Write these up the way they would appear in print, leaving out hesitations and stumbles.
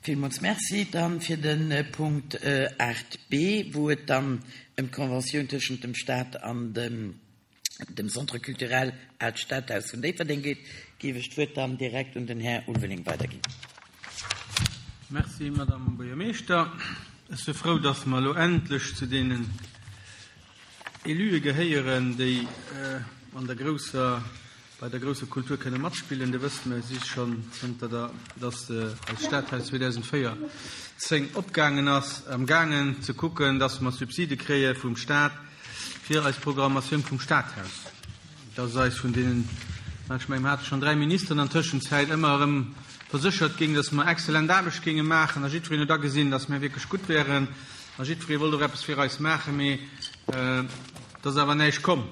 Villmools Merci. Dann fir de Punkt 8b, wou et dann ëm d'Conventioun tëschent dem Stat an dem dem Centre culturel Aalt Stadhaus vun Déifferdeng geet, géif ech d'Wuert dann direkt un den Här Ulveling weiderginn. Merci, Madame Buergermeeschter. Ech si frou, dass mer elo endlech zu deenen Élue gehéieren, déi an der grousser, bei der grousser Kultur kënne matspillen. Dir wësst, mer si schonn zënter der, dass eist Stadhaus 2014 opgaangen ass, amgaangen ze kucken, dass mer Subside kréie vum Stat fir eis Programmatioun vum Stadhaus. Dass eis vun deenen, ech mengen, mer hate schonn 3 Ministeren an Tëschenzäit, ëmmer erëm verséchert géing, dass mer exzellent Aarbecht géinge maachen a jiddwereen huet agesinn, dass mer wierklech gutt wäeren a jiddweree wollt och eppes fir eis maachen, mee et ass awer näischt komm.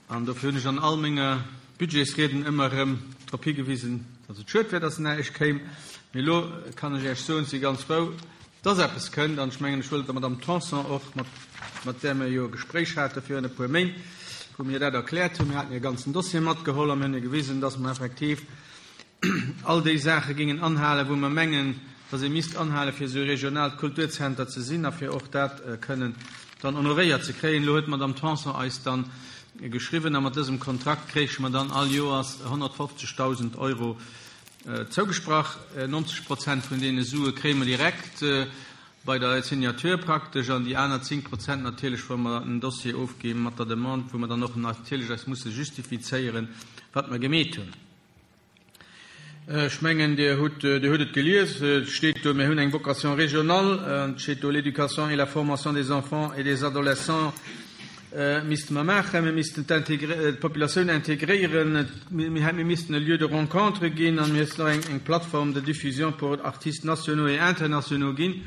An dofir hunn ech an all menge Budgetsrieden ëmmer erëm drop higewisen, dass et schued wär, dass näischt kéim. Mee elo kann ech Iech soen, ech si ganz frou, dass eppes kënnt. An ech mengen, ech wëll der Madamm Tanson och, mat, mat där mir jo e Gespréich hate virun e puer Méint, wou mir dat erkläert hunn, mir haten hir e ganzen Dossier matgeholl a mir hunn hir gewisen, dass mer effektiv all déi Saache géingen anhalen, wou mer mengen, dass ee misst anhalen, fir esou e regionaalt Kulturzenter ze sinn a fir och dat kënnen dann honoréiert ze kréien. Elo huet d'Madame Tanson eis dann geschriwwen a mat dësem Kontrakt kréiche mer dann all Joers 150.000 Euro zougesprach. 90 Prozent vun deene Sue kréie mer direkt bei der Signature praktesch an déi aner 10 Prozent natierlech, wa mer en Dossier ofgi mat der Demande, wou mer dann och natierlech eis musse justifizéieren, wat mer gemeet hunn. Ech mengen, Dir hutt, Dir hutt et gelies, et steet do, mir hunn eng Vocation régionale, an et steet do, l'éducation et la formation des enfants et des adolescents misste mer maachen, mir missten d'Populatioun intégréieren, mir missten e Lieu de rencontre ginn an mir missten och eng Plateforme de diffusion pour artistes nationaux et internationaux ginn.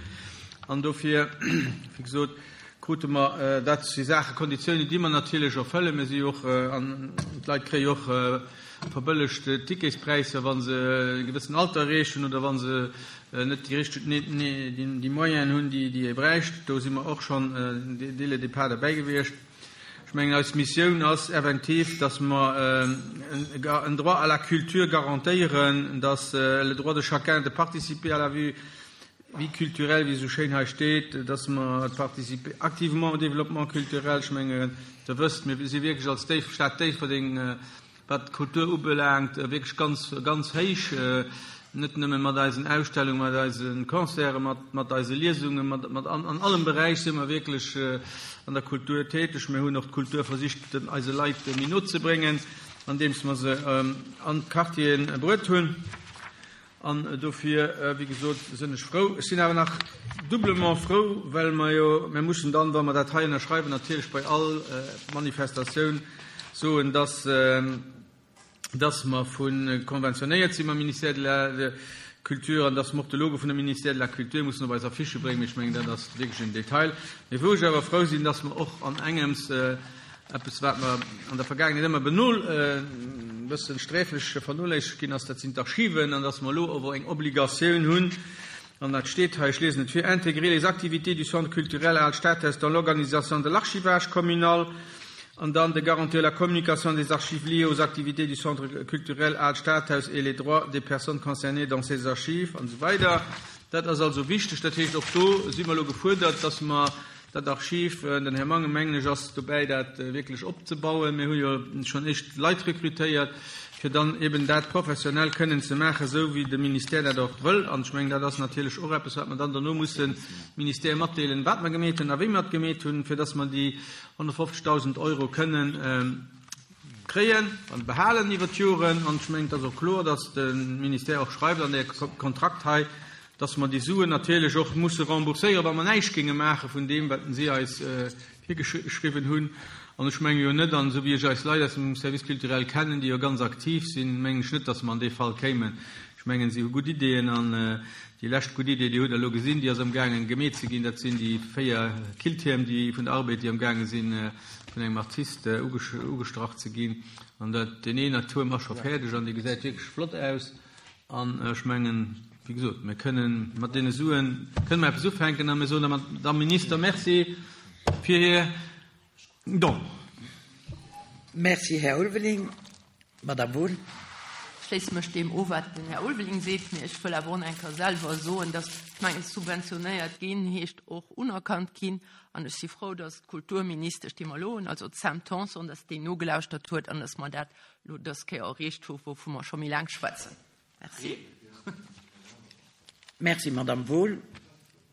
An dofir, wéi gesot, krute mer, dat si Saachen, Konditiounen, déi mer natierlech erfëllen. Mir si jo och, an d'Leit kréie jo och verbëllegt Ticketspräisser, wa se e gewëssen Alter erreechen oder wa se net déi richteg, déi Moyenen hunn, déi ee bräicht. Do si mer och schonn dès le départ derbäi gewiescht. Ech mengen, eis Missioun ass effektiv, dass mer en Droit à la culture garantéieren, dass le droit de chacun de participer à la vie culturelle, wéi esou schéin hei steet, dass mer participer activement au développement culturel. Ech mengen, Der wësst, mir si wierklech als Stad Déifferdeng, wat d'Kultur ubelaangt, wierklech ganz, ganz héich, net nëmme mat eisen Ausstellungen, mat eise Concerten, mat, mat eise Liesungen, mat, mat an, an allem Beräich si mer wierklech an der Kultur täteg. Mir hunn och d'Kultur versicht, den, eise Leit méi no ze bréngen, andeems mer se an d'Quartiere bruet hunn. An dofir, wéi gesot, sinn ech frou. Ech sinn awer nach doublement frou, well mer jo, mir mussen dann, wa mer dat hei ënnerschreiwen, natierlech bei all Manifestatioun soen, dass, dass mer vu konventionéiert si mam Ministère de la Culture an dass mer och de Logo vun dem Ministère de la Culture mussen op eis Affichë bréngen. Mee ech mengen, dat ass wierklech en Detail. Mee wou ech awer frou sinn, dass mer och an engems, Eppes, wat mer an der Vergaangenheet ëmmer benol, e bësse sträflech vernoléissegt ginn ass, dat sinn d'Archiven, an dass mer elo awer eng Obligatioun hunn, an dat steet hei, ech liesen et vir, intégrer les activités du Centre culturel Al Stadhaus dans l'organisation de l'archivage communal, an dann de garantir la communication des archives liées aux activités du Centre culturel Al Stadhaus et les droits des personnes concernées dans ces archives, an esou weider. Dat ass also wichteg. Dat heescht, och do si mer elo gefuerdert, dass mer Dat Archiv, den Här Mangen, mengen ech, ass dobäi, dat wierklech opzebauen. Mir hu jo schonn éischt Leit rekrutéiert, fir dann eben dat professionell kënnen ze maachen, esou wéi de Ministère dat och wëll. An ech mengen, dat ass natierlech och eppes, wat mer dann dono mussen dem Ministère matdeelen, wat mer gemeet hunn a wéi mer et gemeet hunn, fir dass mer déi 150.000 Euro kënnen kréien an behalen iwwert d'Joren. An ech mengen, et ass och kloer, dass de Ministère och schreift an där Kontrakt hei, dass mer déi Suen natierlech och musse rembourséieren, wa mer näischt géinge maache vun deem, wat si eis virgeschriwwen hunn. An ech menge jo net, an esou wéi ech eis Leit aus dem Service culturel kennen, déi jo ganz aktiv sinn, mengen ech net, dass mer an dee Fall kéimen. Ech mengen, si hu gutt Ideeën an déi lescht gutt Idee, déi hutt Der elo gesinn, déi ass amgaangen gemeet ze ginn, dat sinn déi 4 Killtierm, déi vun der Arbed, déi amgaange sinn vun engem Artist ugestrach ze ginn. An dat, deen een Tuerm ass scho fäerdeg an dee gesäit wierklech flott aus. An ech mengen, wéi gesot, mir kënnen mat deene Suen kënnen mer eppes ufänken a mir soen der Madamm Minister Merci fir hir Don. Merci, Här Ulveling. Madamm Wohl. Ech schléisse mech deem u wat den Här Ulveling seet, mee ech wëll awer och eng Kéier selwer soen, dass, ech mengen, subventionéiert ginn heescht och unerkannt ginn. An ech si frou, dass d'Kulturministesch, déi mer elo hunn, also d'Sam Tanson, dass déi nogelauschtert huet an dass mer dat elo dës Kéier erreecht hu wouvu mer scho méi laang schwätzen. Merci. Merci, Madame Wohl.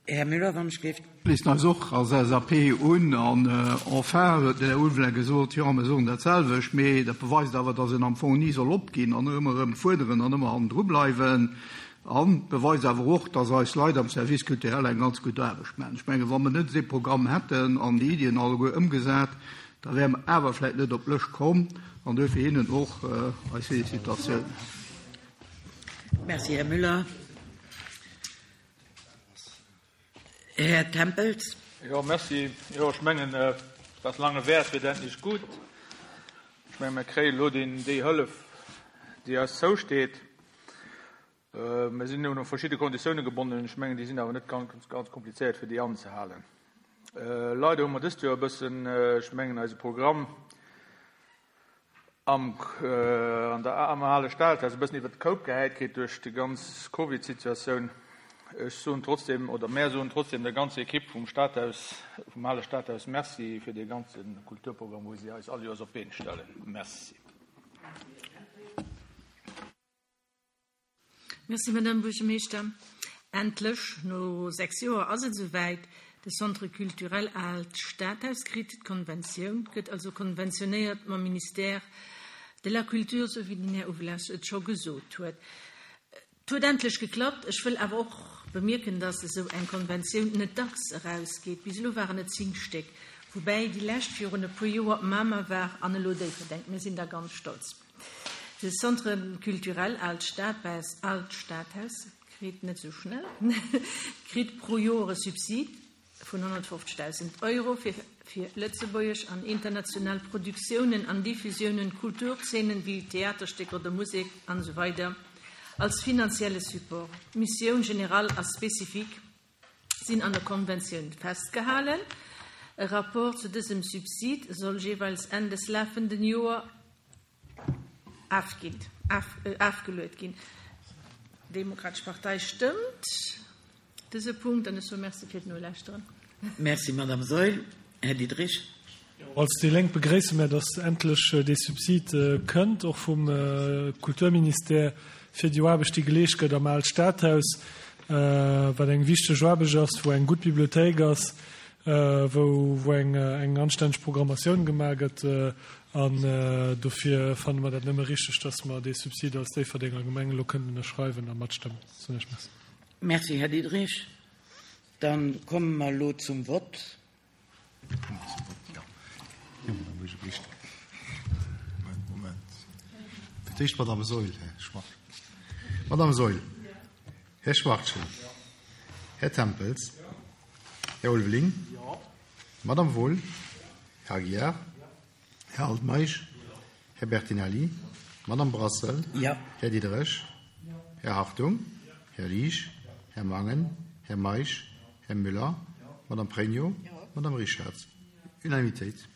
Här Müller, wann ech géif. Schléissen eis och als LSAP un. An enfin huet den Här Ulveling gesot, jo, mir soen dat selwecht, mee dat beweist awer, datt een am Fong ni soll opginn an ëmmer erëm fuerderen an ëmmer hannendru bleiwen. An beweist awer och, datt eis Leit am Service culturel eng ganz gutt Aarbecht maachen. Ech mengen, wa mer net dee Programm hätten an déi Iddien alleguer ëmgesat, da wäre mer awer vläicht net op d'Lëscht komm. An duerfir hinnen och eis Felicitatioun. Merci, Här Müller. Här Tempels. Jo, merci. Jo, ech mengen, was lange währt, wird endlich gut. Ech mengen, mir kréien elo deen, déi Hëllef, déi eis zousteet. Mir sinn un verschidde Konditioune gebonnen. Ech mengen, déi sinn awer net ganz, ganz komplizéiert, fir déi anzehalen. Leider hu mer dëst Joer e bëssen, ech mengen, eise Programm am an der am ale Stadhaus e bëssen iwwert de Koup gehäit kritt duerch déi ganz Covid-Situatioun. Ech soen trotzdem, oder mär soen trotzdem der ganzer Ekipp vum Stadhaus, vum ale Stadhaus Merci fir dee ganze Kulturprogramm, wou si eis all Joers op d'Been stellen. Merci. Merci, Madame Buergermeeschter. Endlech, no 6 Joer ass et esouwäit, De Centre culturel Aalt Stadhaus kritt d'Konventioun, gëtt also konventionéiert mam Ministère de la Culture, esou wéi den Här Uvelas et scho gesot huet. Et huet endlech geklappt. Ech wëll awer och bemierken, dass esou eng Konventioun net dacks erausgeet. Bis elo waren et 10 Stéck, woubäi déi lescht virun e puer Joer Mamer war an elo Déifferdeng. Mir sinn da ganz stolz. De Centre culturel Aalt Stadhaus, Aalt Stadhaus kritt net esou schnell, kritt pro Joer e Subsid vun 150.000 Euro fir fir lëtzebuergesch an international Produktiounen an Diffusiounen, Kulturzeenen wéi Theaterstécker oder Musek an esou weider als finanzielle Support. D'Missioun générale a spécifique sinn an der Konventioun festgehalen. E Rapport zu dësem Subsid soll jeeweils Enn des lafenden Joer afgeluet ginn. D'Demokratesch Partei stëmmt dëse Punkt an ech soe Merci fir d'Nolauschteren. Merci, Madame Saeul. Här Diderich. Als déi Lénk begréisse mär, datt endlech dee Subsid kënnt, och vum Kulturministère, fir déi Aarbecht, déi geleescht gëtt am Aalt Stadhaus, wat eng wichteg Aarbecht ass, wou eng gutt Bibliothéik ass, wou eng anstänneg Programmatioun gemaach gëtt. An dofir fanne mer dat nëmme richteg, datt mer dee Subsid als Déifferdenger Gemeng elo kënnen ënnerschreiwen a matstëmmen. Soen ech Merci. Merci, Här Diderich. Da komme mer elo zum Vott. Fir d'éischt d'Madame Saeul, Här Schmit. Madame Saeul, Här Schwachtgen, Här Tempels, Här Ulveling, Madame Wohl, Här Aguiar, Här Altmeisch, Här Bertinelli, Madame Brassel, Här Diderich, Här Hartung, Här Liesch, Här Mangen, Här Meisch, Här Müller, Madame Pregno, Madame Richarz. Unanimitéit.